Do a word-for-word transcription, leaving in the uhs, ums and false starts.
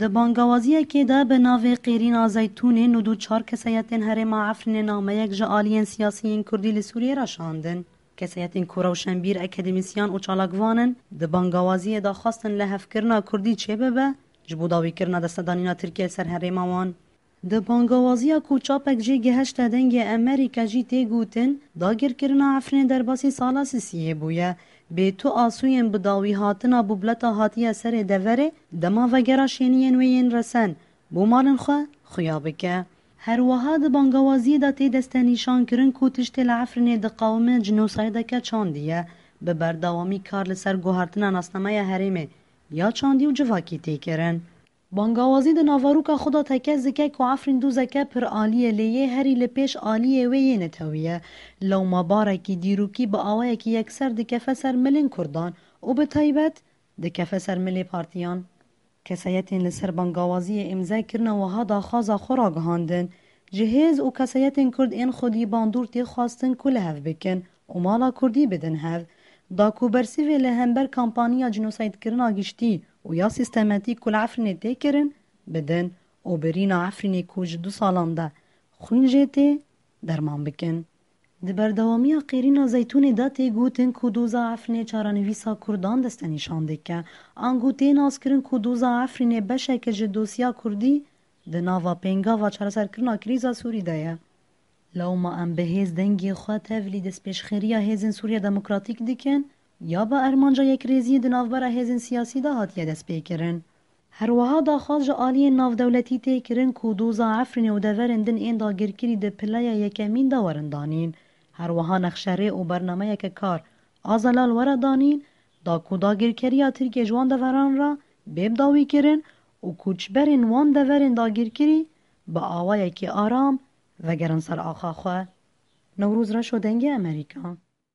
Di bangawaziyekê de bi navê Qêrîna Zeytûnê nod û çar kesayetên herêma Efrînê nameyek ji aliyên siyasiyên Kurdî li Sûriyê re şandin. Kesayetên ku rewşenbîr, akademîsyan û çalakvan in, di bangawaziyê de xwestin lihevkirina Kurdî çêbibe, ji bo dawîkirina destedanîna Tirkiyê li ser herêma wan. Di bangawaziya ku çapek jê gihişte Dengê Emerîka jî tê gotin, dagirkirina Efrînê derbasî sala sisiyê bûye. Bê tu asûyên bi dawî hatina bûbleta hatiye serê deverê, dema vegera şêniyên wê yên resen, bo malên xwe xuya bike. Her wiha di bangawaziyê de tê destenîşankirin ku tiştê li Efrînê diqewime cînosaydeke çandî ye. Bi berdewamî kar li ser guhertina nasnameya herêmê ya çandî û civakî tê kirin. Bangawazî di naveroka xwe de tekez dike ku Efrîn dozeke pir alî ye, lê yê herî li pêş aliyê wê yê netewî ye. Lewma barekî dîrokî bi awayekî yekser dikefe ser milên Kurdan û bi taybet dikefe ser milê partiyan. Kesayetên li ser bangawaziyê îmze kirine wiha daxwaza xwe ragihandin, ji hêz û kesayetên Kurd ên xwedî bandor tê xwestin ku li hev bikin û mala Kurdî bidin hev. Da ku bersivê li hember kampanya cînosaydkirina giştî û ya sîstematîk ku li Efrînê tê kirin, bidin û birîna Efrînê ku ji du salan de xwîn jê tê, derman bikin. Di berdewamiya Qêrîna Zeytûnê de tê gotin ku doza Efrînê çarenivîsa Kurdan destenîşan dike. Ango tê naskirin ku doza Efrînê beşeke ji dosya Kurdî di nava pêngava çareserkirina krîza Sûrî de ye. Lewma em bi hêz dengê xwe tevlî destpêşxeriya hêzên Sûriya Demokratîk dikin, ya bi armanca yekrêziyê di navbera hêzên siyasî de hatiye destpêkirin. Her wiha daxwaz ji aliyên navdewletî tê kirin ku doza Efrînê û deverên din ên dagirkirî di pileya yekemîn de werin danîn. Her wiha nexşerê û bernameyeke kar a zelal were danîn, da ku dagirkeriya Tirkiyê ji wan deveran re bê bidawîkirin û koçberên wan deverên dagirkirî bi awayekî aram vegerin ser axa xwe. Newroz Reşo, Dengê Emerîka.